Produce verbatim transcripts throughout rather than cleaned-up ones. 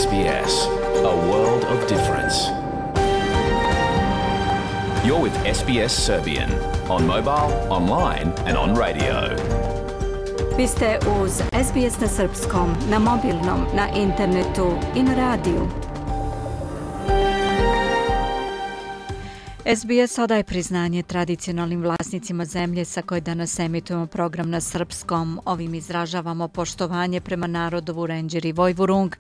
S B S, a world of difference. You're with S B S Serbian on mobile, online and on radio. Vi ste uz S B S na srpskom, na mobilnom, na internetu i na radiju. S B S odaje priznanje tradicionalnim vlasnicima zemlje sa koje danas emitujemo program na srpskom. Ovim izražavamo poštovanje prema narodu Vurenđer i Vojvurung,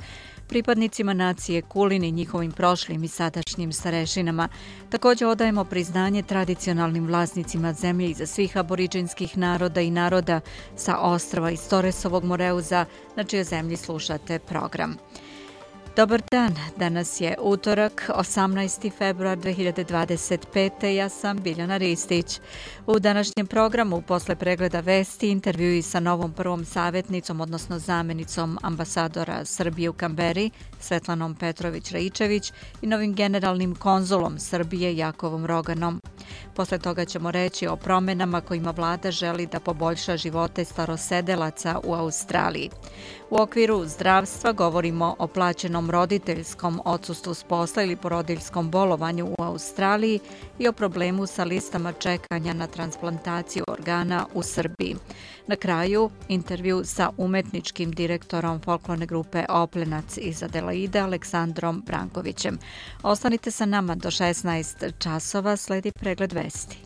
pripadnicima nacije Kulin i njihovim prošlim i sadašnjim starešinama. Također odajemo priznanje tradicionalnim vlasnicima zemlje iza svih aboriđinskih naroda i naroda sa ostrva iz Toresovog Moreuza, na čijoj zemlji slušate program. Dobar dan, danas je utorak, osamnaesti februar dve hiljade dvadeset pete. Ja sam Biljana Ristić. U današnjem programu, posle pregleda vesti, intervjui sa novom prvom savjetnicom, odnosno zamenicom ambasadora Srbije u Kamberi, Svetlanom Petrović-Raičević, i novim generalnim konzulom Srbije Jakovom Roganom. Posle toga ćemo reći o promjenama kojima vlada želi da poboljša živote starosedelaca u Australiji. U okviru zdravstva govorimo o plaćenom roditeljskom odsustvu s posla ili porodiljskom bolovanju u Australiji i o problemu sa listama čekanja na transplantaciju organa u Srbiji. Na kraju, intervju sa umetničkim direktorom folklorne grupe Oplenac iz Adelaide, Aleksandrom Brankovićem. Ostanite sa nama do šesnaest časova, sledi pregled vesti.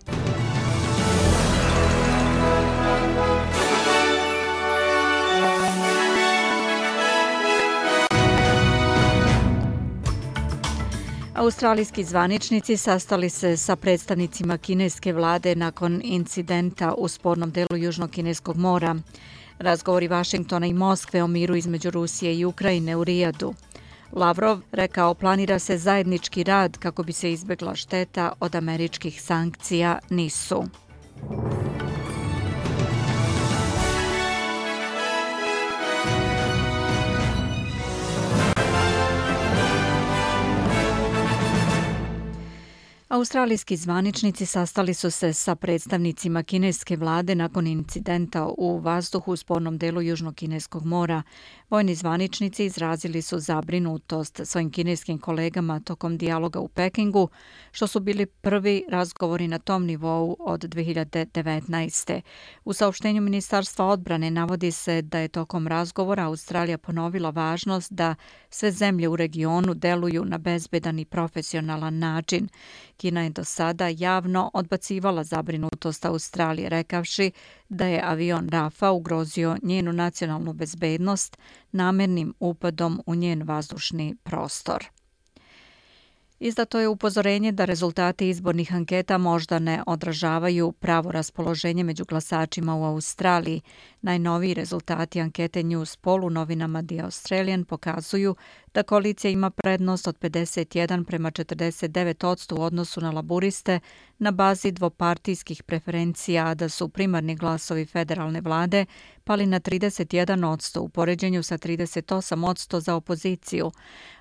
Australijski zvaničnici sastali se sa predstavnicima kineske vlade nakon incidenta u spornom delu Južnog kineskog mora. Razgovori Vašingtona i Moskve o miru između Rusije i Ukrajine u Rijadu. Lavrov rekao planira se zajednički rad kako bi se izbjegla šteta od američkih sankcija, nisu. Australijski zvaničnici sastali su se sa predstavnicima kineske vlade nakon incidenta u vazduhu u spornom delu Južnog kineskog mora. Vojni zvaničnici izrazili su zabrinutost svojim kineskim kolegama tokom dijaloga u Pekingu, što su bili prvi razgovori na tom nivou od dve hiljade devetnaeste. U saopštenju Ministarstva odbrane navodi se da je tokom razgovora Australija ponovila važnost da sve zemlje u regionu deluju na bezbedan i profesionalan način. Kina je do sada javno odbacivala zabrinutost Australije, rekavši da je avion Rafa ugrozio njenu nacionalnu bezbednost namernim upadom u njen vazdušni prostor. Izdato je upozorenje da rezultati izbornih anketa možda ne odražavaju pravo raspoloženje među glasačima u Australiji. Najnoviji rezultati ankete Newspoll u novinama The Australian pokazuju da koalicija ima prednost od pedeset jedan prema četrdeset devet posto u odnosu na laburiste na bazi dvopartijskih preferencija, a da su primarni glasovi federalne vlade pali na trideset jedan posto u poređenju sa trideset osam posto za opoziciju.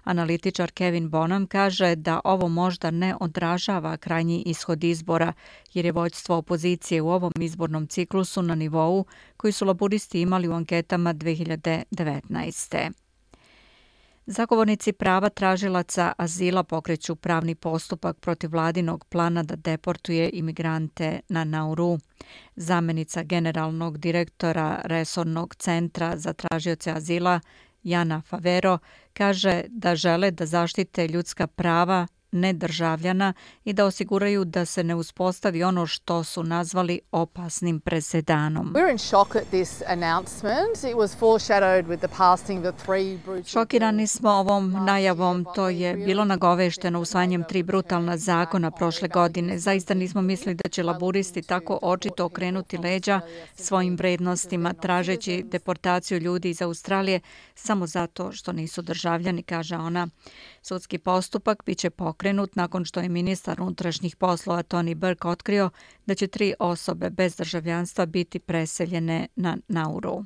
Analitičar Kevin Bonham kaže da ovo možda ne odražava krajnji ishod izbora, jer je vođstvo opozicije u ovom izbornom ciklusu na nivou koji su laburisti imali u anketama dve hiljade devetnaeste. Zagovornici prava tražilaca azila pokreću pravni postupak protiv vladinog plana da deportuje imigrante na Nauru. Zamenica generalnog direktora Resornog centra za tražioce azila Jana Favero kaže da žele da zaštite ljudska prava nedržavljana i da osiguraju da se ne uspostavi ono što su nazvali opasnim presedanom. Šokirani smo ovom najavom, to je bilo nagovešteno usvajanjem tri brutalna zakona prošle godine. Zaista nismo mislili da će laburisti tako očito okrenuti leđa svojim vrednostima, tražeći deportaciju ljudi iz Australije samo zato što nisu državljani, kaže ona. Sudski postupak biće pokrenut nakon što je ministar unutrašnjih poslova Tony Burke otkrio da će tri osobe bez državljanstva biti preseljene na Nauru.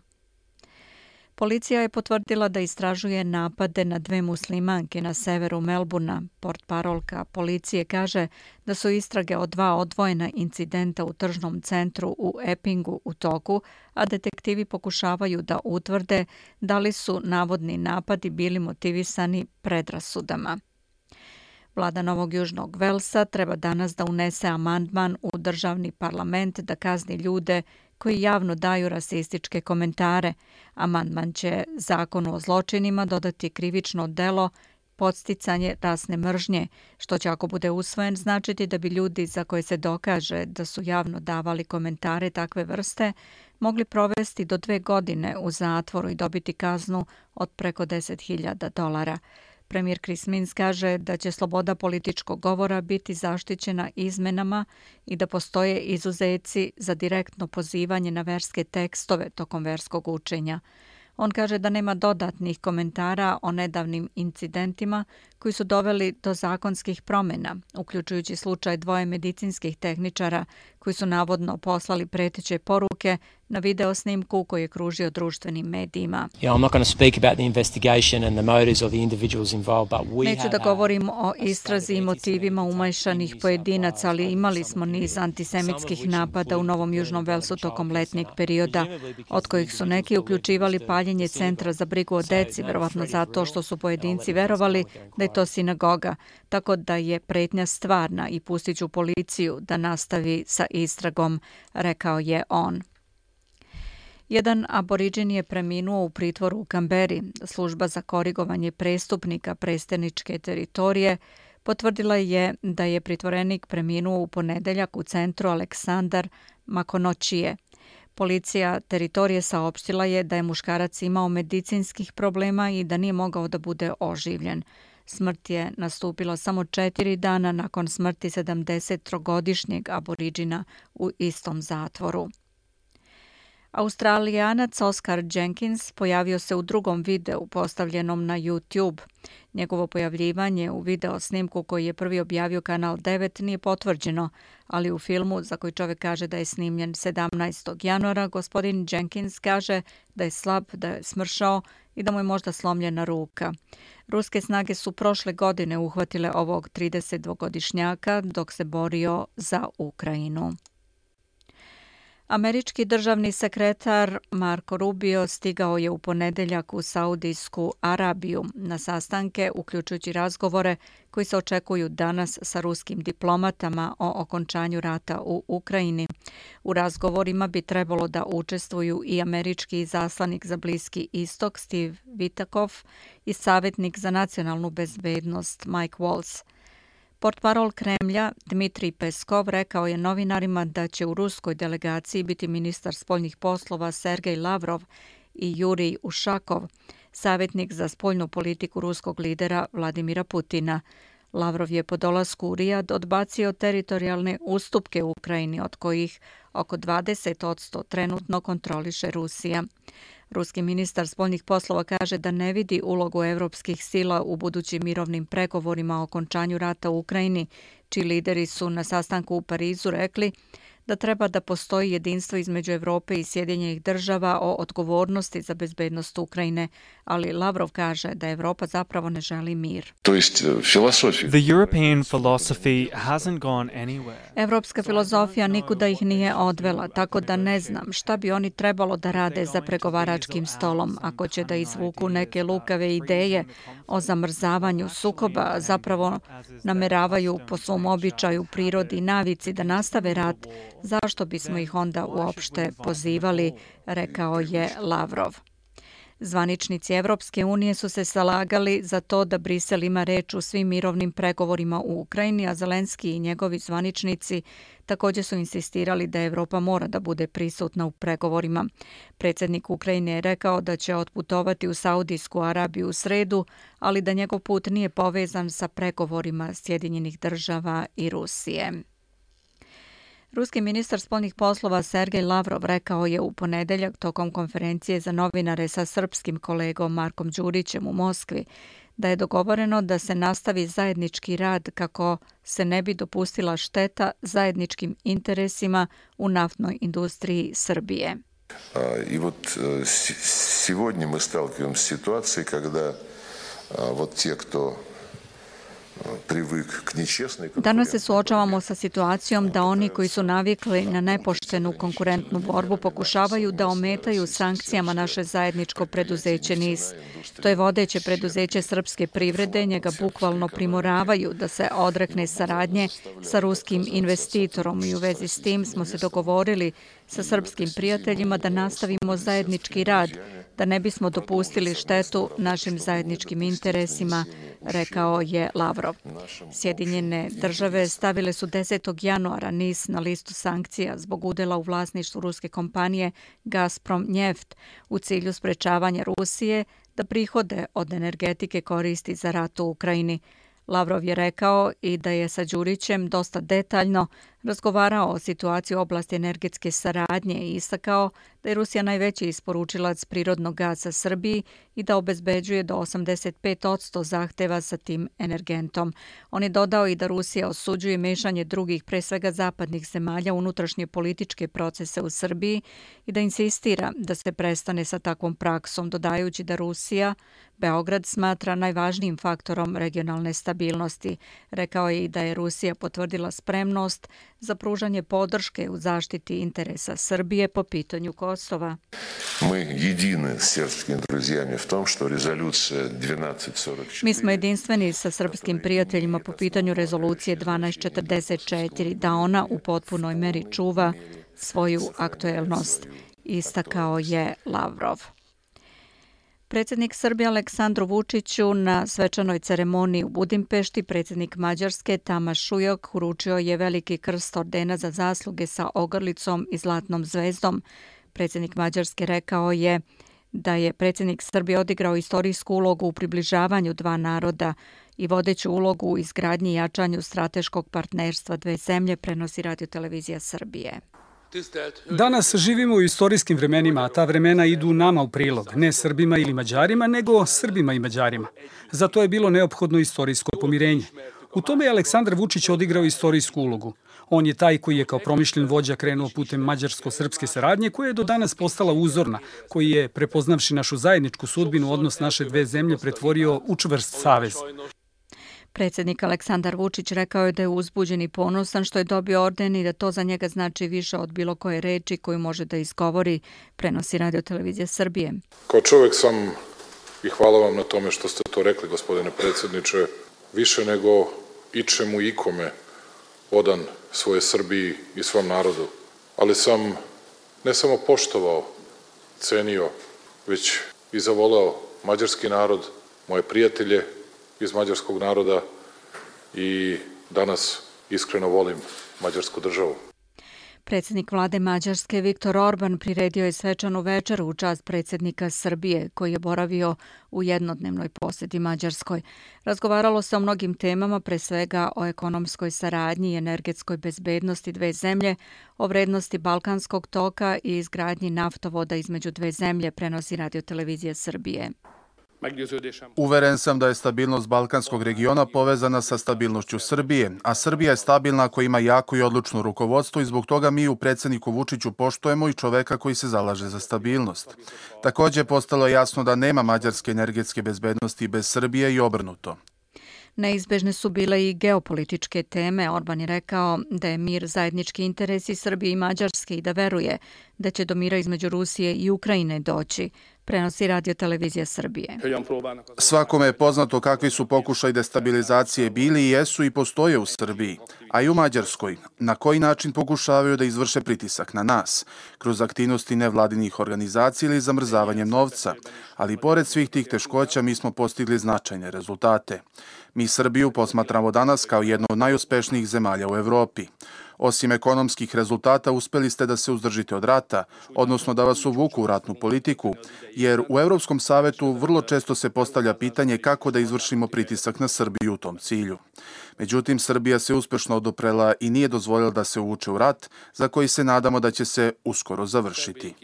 Policija je potvrdila da istražuje napade na dve muslimanke na severu Melburna. Portparolka policije kaže da su istrage o dva odvojena incidenta u tržnom centru u Eppingu u toku, a detektivi pokušavaju da utvrde da li su navodni napadi bili motivisani predrasudama. Vlada Novog Južnog Velsa treba danas da unese amandman u državni parlament da kazni ljude koji javno daju rasističke komentare. Amandman će zakonu o zločinima dodati krivično delo podsticanje rasne mržnje, što će ako bude usvojen značiti da bi ljudi za koje se dokaže da su javno davali komentare takve vrste mogli provesti do dve godine u zatvoru i dobiti kaznu od preko deset hiljada dolara. Premijer Chris Minns kaže da će sloboda političkog govora biti zaštićena izmenama i da postoje izuzeci za direktno pozivanje na verske tekstove tokom verskog učenja. On kaže da nema dodatnih komentara o nedavnim incidentima koji su doveli do zakonskih promjena, uključujući slučaj dvoje medicinskih tehničara koji su navodno poslali preteće poruke na video snimku koji je kružio društvenim medijima. Neću da govorim o istrazi i motivima umajšanih pojedinaca, ali imali smo niz antisemitskih napada u Novom Južnom Velsu tokom letnjeg perioda, od kojih su neki uključivali paljenje centra za brigu o deci, verovatno zato što su pojedinci verovali da je to sinagoga, tako da je pretnja stvarna i pustit ću policiju da nastavi sa istragom, rekao je on. Jedan aboriđin je preminuo u pritvoru u Kamberi. Služba za korigovanje prestupnika presteničke teritorije potvrdila je da je pritvorenik preminuo u ponedeljak u centru Aleksandar Makonoćije. Policija teritorije saopštila je da je muškarac imao medicinskih problema i da nije mogao da bude oživljen. Smrt je nastupila samo četiri dana nakon smrti sedamdesettrogodišnjeg aboriđina u istom zatvoru. Australijanac Oscar Jenkins pojavio se u drugom videu postavljenom na YouTube. Njegovo pojavljivanje u video snimku koji je prvi objavio Kanal devet nije potvrđeno, ali u filmu za koji čovjek kaže da je snimljen sedamnaestog januara, gospodin Jenkins kaže da je slab, da je smršao i da mu je možda slomljena ruka. Ruske snage su prošle godine uhvatile ovog tridesetdvogodišnjaka dok se borio za Ukrajinu. Američki državni sekretar Marco Rubio stigao je u ponedeljak u Saudijsku Arabiju na sastanke, uključujući razgovore koji se očekuju danas sa ruskim diplomatama o okončanju rata u Ukrajini. U razgovorima bi trebalo da učestvuju i američki izaslanik za Bliski istok Steve Witkoff i savjetnik za nacionalnu bezbednost Mike Waltz. Portparol Kremlja Dmitrij Peskov rekao je novinarima da će u ruskoj delegaciji biti ministar spoljnih poslova Sergej Lavrov i Jurij Ušakov, savjetnik za spoljnu politiku ruskog lidera Vladimira Putina. Lavrov je po dolasku u Rijad odbacio teritorijalne ustupke u Ukrajini, od kojih oko dvadeset posto trenutno kontroliše Rusija. Ruski ministar spoljnih poslova kaže da ne vidi ulogu evropskih sila u budućim mirovnim pregovorima o okončanju rata u Ukrajini, čiji lideri su na sastanku u Parizu rekli da treba da postoji jedinstvo između Evrope i Sjedinjenih država o odgovornosti za bezbednost Ukrajine, ali Lavrov kaže da Evropa zapravo ne želi mir. The European philosophy hasn't gone anywhere. Evropska filozofija nikuda ih nije odvela, tako da ne znam šta bi oni trebalo da rade za pregovaračkim stolom ako će da izvuku neke lukave ideje o zamrzavanju sukoba, zapravo nameravaju po svom običaju, prirodi i navici da nastave rat. Zašto bismo ih onda uopšte pozivali, rekao je Lavrov. Zvaničnici Evropske unije su se zalagali za to da Brisel ima reč u svim mirovnim pregovorima u Ukrajini, a Zelenski i njegovi zvaničnici također su insistirali da Evropa mora da bude prisutna u pregovorima. Predsjednik Ukrajine je rekao da će otputovati u Saudijsku Arabiju u sredu, ali da njegov put nije povezan sa pregovorima Sjedinjenih država i Rusije. Ruski ministar spoljnih poslova Sergej Lavrov rekao je u ponedeljak tokom konferencije za novinare sa srpskim kolegom Markom Đurićem u Moskvi da je dogovoreno da se nastavi zajednički rad kako se ne bi dopustila šteta zajedničkim interesima u naftnoj industriji Srbije. I вот сегодня мы сталкиваемся с ситуацией, когда вот те, кто Danas se suočavamo sa situacijom da oni koji su navikli na nepoštenu konkurentnu borbu pokušavaju da ometaju sankcijama naše zajedničko preduzeće N I S. To je vodeće preduzeće srpske privrede, njega bukvalno primoravaju da se odrekne saradnje sa ruskim investitorom i u vezi s tim smo se dogovorili sa srpskim prijateljima da nastavimo zajednički rad, da ne bismo dopustili štetu našim zajedničkim interesima, rekao je Lavrov. Sjedinjene države stavile su desetog januara N I S na listu sankcija zbog udela u vlasništvu ruske kompanije Gazprom Njeft u cilju sprečavanja Rusije da prihode od energetike koristi za rat u Ukrajini. Lavrov je rekao i da je sa Đurićem dosta detaljno razgovarao o situaciji u oblasti energetske saradnje i istakao da je Rusija najveći isporučilac prirodnog gaza Srbiji i da obezbeđuje do osamdeset pet posto zahteva sa tim energentom. On je dodao i da Rusija osuđuje mešanje drugih, pre svega zapadnih zemalja, unutrašnje političke procese u Srbiji i da insistira da se prestane sa takvom praksom, dodajući da Rusija Beograd smatra najvažnijim faktorom regionalne stabilnosti. Rekao je i da je Rusija potvrdila spremnost za pružanje podrške u zaštiti interesa Srbije po pitanju Kosova. Mi smo jedinstveni sa srpskim prijateljima po pitanju rezolucije dvanaest četrdeset četiri, da ona u potpunoj meri čuva svoju aktuelnost, istakao je Lavrov. Predsjednik Srbije Aleksandru Vučiću na svečanoj ceremoniji u Budimpešti predsjednik Mađarske Tamaš Šujok uručio je veliki krst ordena za zasluge sa ogrlicom i zlatnom zvezdom. Predsjednik Mađarske rekao je da je predsjednik Srbije odigrao istorijsku ulogu u približavanju dva naroda i vodeću ulogu u izgradnji i jačanju strateškog partnerstva dve zemlje, prenosi Radio-televizija Srbije. Danas živimo u istorijskim vremenima, a ta vremena idu nama u prilog, ne Srbima ili Mađarima, nego Srbima i Mađarima. Zato je bilo neophodno istorijsko pomirenje. U tome je Aleksandar Vučić odigrao istorijsku ulogu. On je taj koji je kao promišljen vođa krenuo putem mađarsko-srpske saradnje, koja je do danas postala uzorna, koji je, prepoznavši našu zajedničku sudbinu, odnos naše dve zemlje pretvorio u čvrst savez. Predsjednik Aleksandar Vučić rekao je da je uzbuđen i ponosan što je dobio orden i da to za njega znači više od bilo koje reči koju može da izgovori, prenosi Radio-televizija Srbije. Kao čovjek sam, i hvala vam na tome što ste to rekli, gospodine predsjedniče, više nego ičemu ikome odan svoje Srbiji i svom narodu. Ali sam ne samo poštovao, cenio, već i zavoleo mađarski narod, moje prijatelje iz mađarskog naroda i danas iskreno volim mađarsku državu. Predsjednik vlade Mađarske Viktor Orban priredio je svečanu večeru u čast predsjednika Srbije, koji je boravio u jednodnevnoj posjeti Mađarskoj. Razgovaralo se o mnogim temama, pre svega o ekonomskoj saradnji i energetskoj bezbednosti dve zemlje, o vrednosti Balkanskog toka i izgradnji naftovoda između dve zemlje, prenosi Radio-televizija Srbije. Uveren sam da je stabilnost Balkanskog regiona povezana sa stabilnošću Srbije, a Srbija je stabilna ako ima jako i odlučno rukovodstvo i zbog toga mi u predsjedniku Vučiću poštujemo i čoveka koji se zalaže za stabilnost. Također postalo je jasno da nema mađarske energetske bezbednosti bez Srbije i obrnuto. Neizbežne su bile i geopolitičke teme. Orban je rekao da je mir zajednički interesi Srbije i Mađarske i da veruje da će do mira između Rusije i Ukrajine doći, prenosi Radio-televizija Srbije. Svakome je poznato kakvi su pokušaj destabilizacije bili i jesu i postoje u Srbiji, a i u Mađarskoj. Na koji način pokušavaju da izvrše pritisak na nas? Kroz aktivnosti nevladinih organizacija ili zamrzavanjem novca. Ali pored svih tih teškoća mi smo postigli značajne rezultate. Mi Srbiju posmatramo danas kao jednu od najuspešnijih zemalja u Evropi. Osim ekonomskih rezultata, uspeli ste da se uzdržite od rata, odnosno da vas uvuku u ratnu politiku, jer u Evropskom savetu vrlo često se postavlja pitanje kako da izvršimo pritisak na Srbiju u tom cilju. Međutim, Srbija se uspešno oduprela i nije dozvoljila da se uvuče u rat, za koji se nadamo da će se uskoro završiti.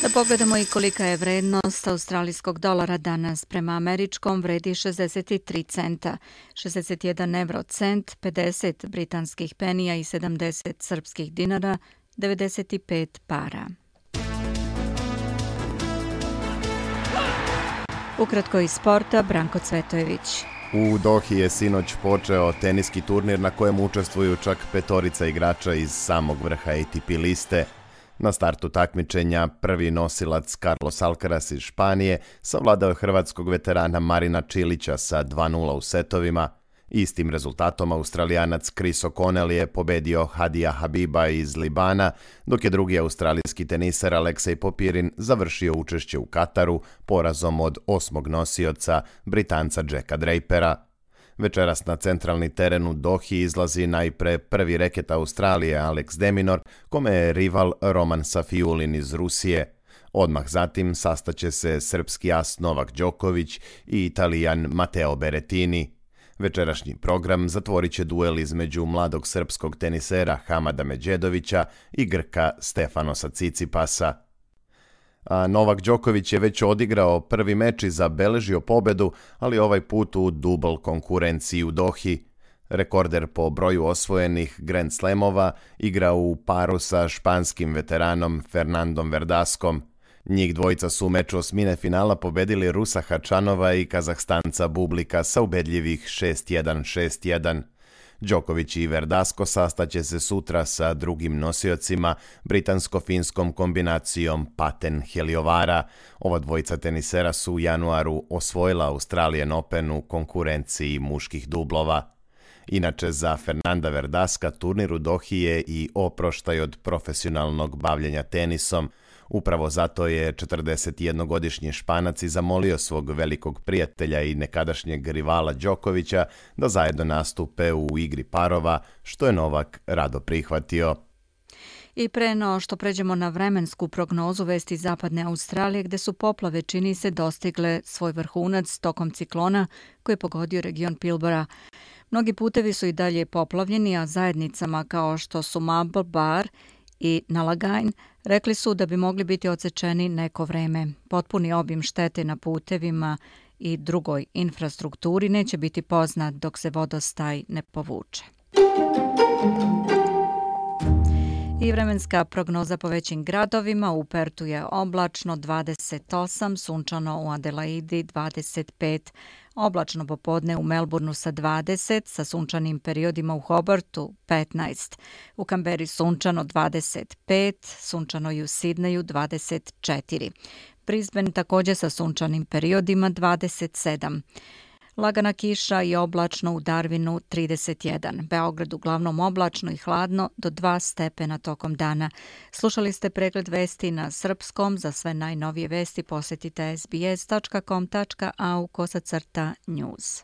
Da pogledamo i kolika je vrednost australijskog dolara danas. Prema američkom vredi šezdeset tri centa, šezdeset jedan evro cent, pedeset britanskih penija i sedamdeset srpskih dinara, devedeset pet para. Ukratko iz sporta, Branko Cvetojević. U Dohi je sinoć počeo teniski turnir na kojem učestvuju čak petorica igrača iz samog vrha A T P liste. Na startu takmičenja prvi nosilac Carlos Alcaraz iz Španije savladao je hrvatskog veterana Marina Čilića sa dva nula u setovima. Istim rezultatom Australijanac Chris O'Connell je pobedio Hadija Habiba iz Libana, dok je drugi australijski teniser Aleksej Popirin završio učešće u Kataru porazom od osmog nosioca Britanca Jacka Drapera. Večeras na centralni teren u Dohi izlazi najpre prvi reket Australije Alex de Minaur, kome je rival Roman Safiulin iz Rusije. Odmah zatim sastaće se srpski as Novak Đoković i Italijan Matteo Berrettini. Večerašnji program zatvorit će duel između mladog srpskog tenisera Hamada Medjedovića i Grka Stefanosa Cicipasa. A Novak Đoković je već odigrao prvi meč i zabeležio pobedu, ali ovaj put u dubl konkurenciji u Dohi. Rekorder po broju osvojenih Grand Slamova igra u paru sa španskim veteranom Fernandom Verdaskom. Njih dvojica su u meču osmine finala pobedili Rusa Hačanova i Kazahstanca Bublika sa ubedljivih šest jedan šest jedan. Đoković i Verdasko sastaće se sutra sa drugim nosiocima, britansko-finskom kombinacijom Paten-Heliovara. Ova dvojica tenisera su u januaru osvojila Australian Open u konkurenciji muških dublova. Inače, za Fernanda Verdaska turnir u Dohi je i oproštaj od profesionalnog bavljenja tenisom. Upravo zato je četrdesetjednogodišnji Španac i zamolio svog velikog prijatelja i nekadašnjeg rivala Đokovića da zajedno nastupe u igri parova, što je Novak rado prihvatio. I pre no što pređemo na vremensku prognozu, vesti zapadne Australije gde su poplave čini se dostigle svoj vrhunac tokom ciklona koji je pogodio region Pilbara. Mnogi putevi su i dalje poplavljeni, a zajednicama kao što su Marble Bar i Nalagain rekli su da bi mogli biti odsečeni neko vreme. Potpuni obim štete na putevima i drugoj infrastrukturi neće biti poznat dok se vodostaj ne povuče. I vremenska prognoza po većim gradovima. U Pertu je oblačno dvadeset osam, sunčano u Adelaidi dvadeset pet, oblačno popodne u Melbourneu sa dvadeset, sa sunčanim periodima u Hobartu petnaest, u Kamberi sunčano dvadeset pet, sunčano i u Sidneju dvadeset četiri, Brisbane također sa sunčanim periodima dvadeset sedam, lagana kiša i oblačno u Darwinu trideset jedan. Beograd uglavnom oblačno i hladno do dva stepena tokom dana. Slušali ste pregled vesti na srpskom. Za sve najnovije vesti posjetite s b s dot com dot a u kosacrta news.